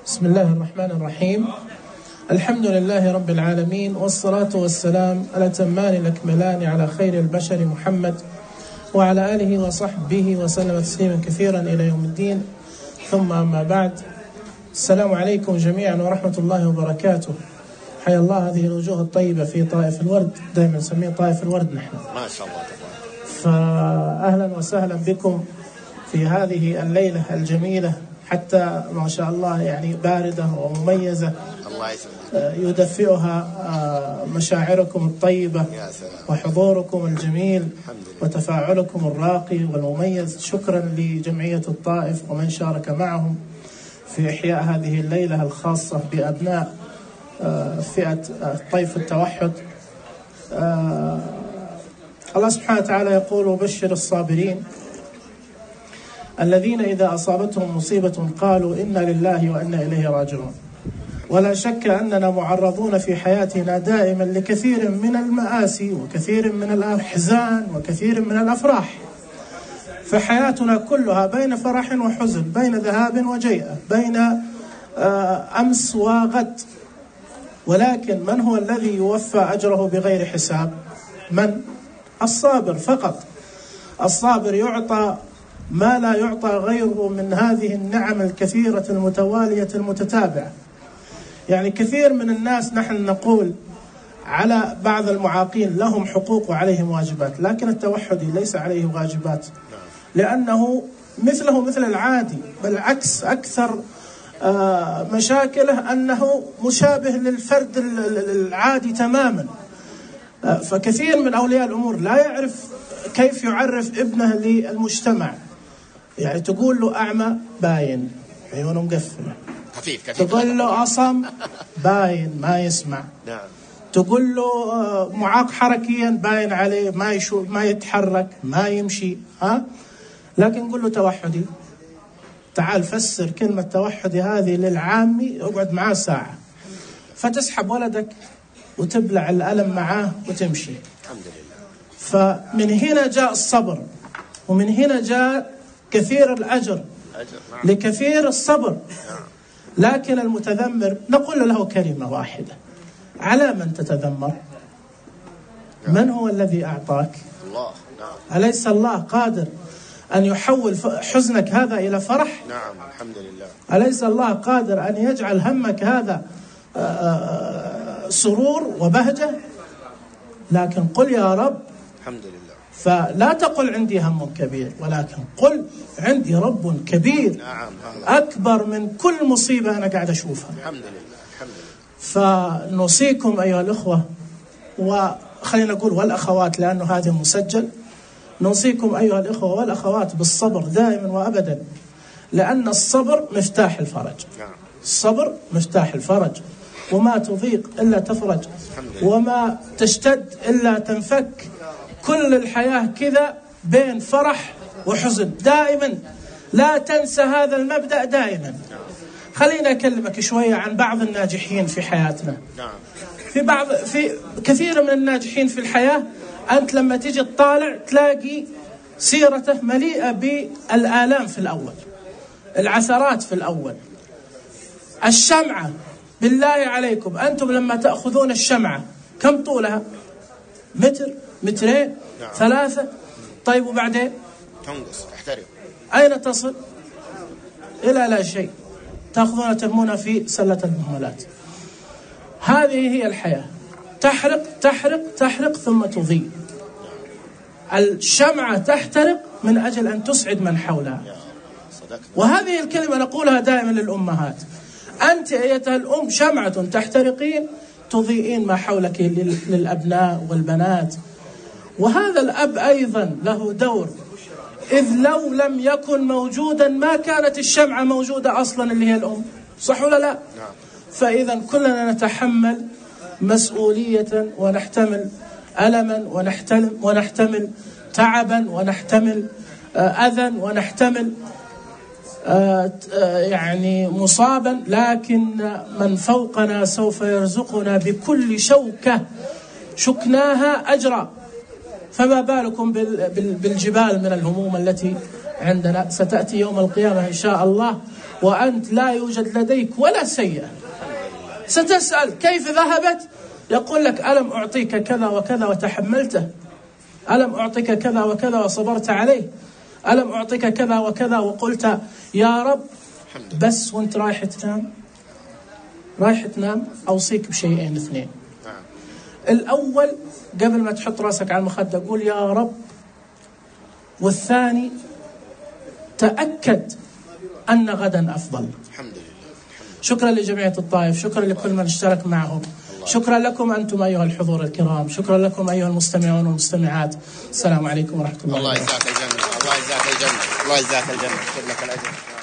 بسم الله الرحمن الرحيم. الحمد لله رب العالمين، والصلاة والسلام الأتمان الأكملان على خير البشر محمد وعلى آله وصحبه وسلم تسليما كثيرا إلى يوم الدين، ثم أما بعد. السلام عليكم جميعا ورحمة الله وبركاته. حيا الله هذه الوجوه الطيبة في طائف الورد، دائما نسميه طائف الورد نحن ما شاء الله. فأهلا وسهلا بكم في هذه الليلة الجميلة، حتى ما شاء الله يعني باردة ومميزة، الله يسلمك، يدفئها مشاعركم الطيبة وحضوركم الجميل وتفاعلكم الراقي والمميز. شكرا لجمعية الطائف ومن شارك معهم في إحياء هذه الليلة الخاصة بأبناء فئة طيف التوحد. الله سبحانه وتعالى يقول: وبشر الصابرين الذين إذا أصابتهم مصيبة قالوا إنا لله وإنا إليه راجعون. ولا شك أننا معرضون في حياتنا دائما لكثير من المآسي وكثير من الأحزان وكثير من الأفراح، فحياتنا كلها بين فرح وحزن، بين ذهاب وجيئة، بين أمس وغد. ولكن من هو الذي يوفى أجره بغير حساب؟ من؟ الصابر فقط. الصابر يعطى ما لا يعطى غيره من هذه النعم الكثيرة المتوالية المتتابعة. يعني كثير من الناس نحن نقول على بعض المعاقين لهم حقوق وعليهم واجبات، لكن التوحدي ليس عليه واجبات، لأنه مثله مثل العادي، بالعكس أكثر مشاكله أنه مشابه للفرد العادي تماما. فكثير من أولياء الأمور لا يعرف كيف يعرف ابنه للمجتمع. يعني تقول له أعمى باين عيونه مقفلة، تقول له أصم باين ما يسمع، تقول له معاق حركيا باين عليه ما يتحرك ما يمشي، لكن قل له توحدي، تعال فسر كلمة توحدي هذه للعامي، اقعد معاه ساعة، فتسحب ولدك وتبلع الألم معاه وتمشي. الحمد لله. فمن هنا جاء الصبر، ومن هنا جاء كثير الأجر لكثير الصبر. لكن المتذمر نقول له كلمة واحدة: على من تتذمر؟ من هو الذي أعطاك؟ الله. أليس الله قادر أن يحول حزنك هذا إلى فرح؟ نعم الحمد لله. أليس الله قادر أن يجعل همك هذا سرور وبهجة؟ لكن قل يا رب. الحمد لله. فلا تقل عندي هم كبير، ولكن قل عندي رب كبير. نعم. أكبر من كل مصيبة أنا قاعد أشوفها. الحمد لله. الحمد لله. فنوصيكم أيها الأخوة، وخلينا نقول والأخوات لأنه هذا مسجل، نوصيكم أيها الأخوة والأخوات بالصبر دائما وأبدا، لأن الصبر مفتاح الفرج. الصبر مفتاح الفرج، وما تضيق إلا تفرج، وما تشتد إلا تنفك. كل الحياة كذا بين فرح وحزن دائما، لا تنسى هذا المبدأ دائما. خلينا أكلمك شوية عن بعض الناجحين في حياتنا. في كثير من الناجحين في الحياة أنت لما تيجي تطالع تلاقي سيرته مليئة بالآلام في الأول، العثرات في الأول. الشمعة بالله عليكم، أنتم لما تأخذون الشمعة كم طولها؟ متر، مترين، 3. طيب وبعدين تنقص، تحترق. أين تصل؟ إلى لا شيء، تأخذونها ترمونها في سلة المهملات. هذه هي الحياة، تحرق تحرق تحرق ثم تضيء. الشمعة تحترق من أجل أن تسعد من حولها. وهذه الكلمة نقولها دائما للأمهات: أنت أيتها الأم شمعة تحترقين تضيئين ما حولك للأبناء والبنات. وهذا الأب أيضا له دور، إذ لو لم يكن موجودا ما كانت الشمعة موجودة أصلا اللي هي الأم، صح ولا لا؟ فإذا كلنا نتحمل مسؤولية ونحتمل ألما ونحتمل تعبا ونحتمل أذى ونحتمل يعني مصابا، لكن من فوقنا سوف يرزقنا بكل شوكة شكناها أجرا. فما بالكم بالجبال من الهموم التي عندنا ستأتي يوم القيامة إن شاء الله وأنت لا يوجد لديك ولا سيئة. ستسأل كيف ذهبت؟ يقول لك ألم أعطيك كذا وكذا وتحملته؟ ألم أعطيك كذا وكذا وصبرت عليه؟ ألم أعطيك كذا وكذا وقلت يا رب؟ بس وانت رايح تنام أوصيك بشيئين اثنين. الأول قبل ما تحط رأسك على المخدة قول يا رب، والثاني تأكد أن غدا أفضل. الحمد لله. شكرا لجمعية الطائف، شكرا لكل من اشترك معهم، شكرا لكم أنتم أيها الحضور الكرام، شكرا لكم أيها المستمعون والمستمعات. السلام عليكم ورحمة الله. الله يجزاك الجنة، الله يجزاك الجنة، الله يجزاك الجنة، شكرا لك الأجر.